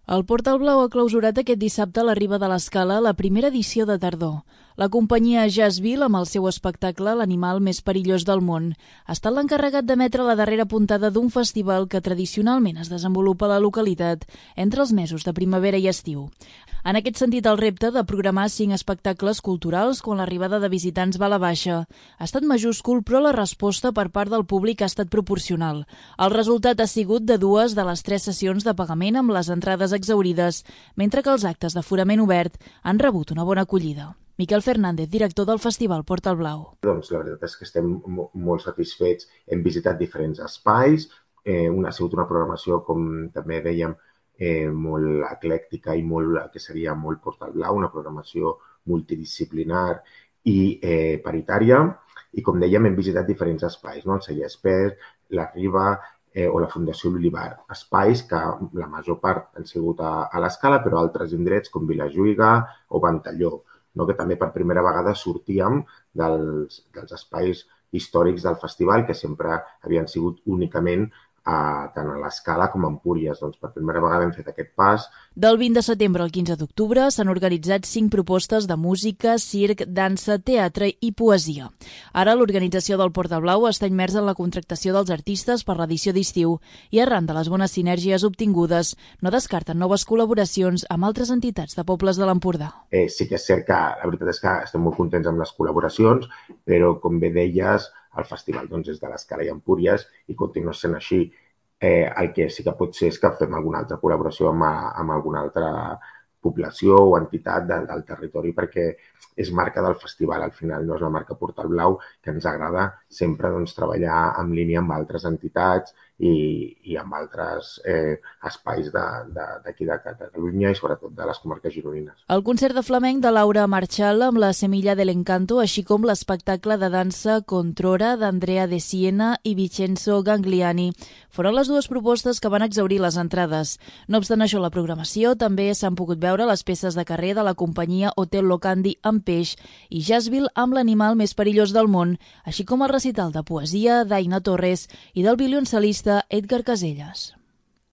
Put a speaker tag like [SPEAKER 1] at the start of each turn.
[SPEAKER 1] El Portal Blau ha clausurat aquest dissabte a la Riba de l'Escala la primera edició de tardor. La companyia Jazzville, amb el seu espectacle L'animal més perillós del món, ha estat l'encarregat d'emetre la darrera puntada d'un festival que tradicionalment es desenvolupa a la localitat entre els mesos de primavera i estiu. En aquest sentit, el repte de programar 5 espectacles culturals quan l'arribada de visitants va a la baixa ha estat majúscul, però la resposta per part del públic ha estat proporcional. El resultat ha sigut de 2 de les 3 sessions de pagament amb les entrades exhaurides, mentre que els actes d'aforament obert han rebut una bona acollida. Miquel Fernández, director del Festival Portal Blau.
[SPEAKER 2] Doncs la veritat és que estem molt satisfets. Hem visitat diferents espais. Ha sigut una programació, com també dèiem, molt eclèctica i que seria molt Portal Blau, una programació multidisciplinar i paritària. I com dèiem, hem visitat diferents espais, no? El Celler Espert, la Riba o la Fundació L'Olivar. Espais que la major part han sigut a l'Escala, però altres indrets com Vilajuïga o Ventalló, no? Que també per primera vegada sortíem dels espais històrics del festival, que sempre havien sigut únicament tant a l'Escala com a Empúries. Doncs per primera vegada hem fet aquest pas.
[SPEAKER 1] Del 20 de setembre al 15 d'octubre s'han organitzat 5 propostes de música, circ, dansa, teatre i poesia. Ara l'organització del Portal Blau està immersa en la contractació dels artistes per l'edició d'estiu i arran de les bones sinergies obtingudes no descarten noves col·laboracions amb altres entitats de pobles de l'Empordà.
[SPEAKER 2] Sí que és cert que la veritat és que estem molt contents amb les col·laboracions, però com bé deies, el festival és de l'Escala i Empúries i continua sent així. El que sí que pot ser és que fem alguna altra col·laboració amb alguna altra població o entitat del territori, perquè és marca del festival, al final no és la marca Portal Blau, que ens agrada sempre treballar en línia amb altres entitats i amb altres espais d'aquí de Catalunya i sobretot de les comarques gironines.
[SPEAKER 1] El concert de flamenc de Laura Marchal amb la Semilla del Encanto, així com l'espectacle de dansa Controra d'Andrea de Siena i Vincenzo Gangliani, foren les 2 propostes que van exhaurir les entrades. No obstant això, la programació també s'han pogut veure les peces de carrer de la companyia Hotel Locandi amb peix i Jazzville amb l'animal més perillós del món, així com el recital de poesia d'Aina Torres i del violoncel·lista Edgar Casellas.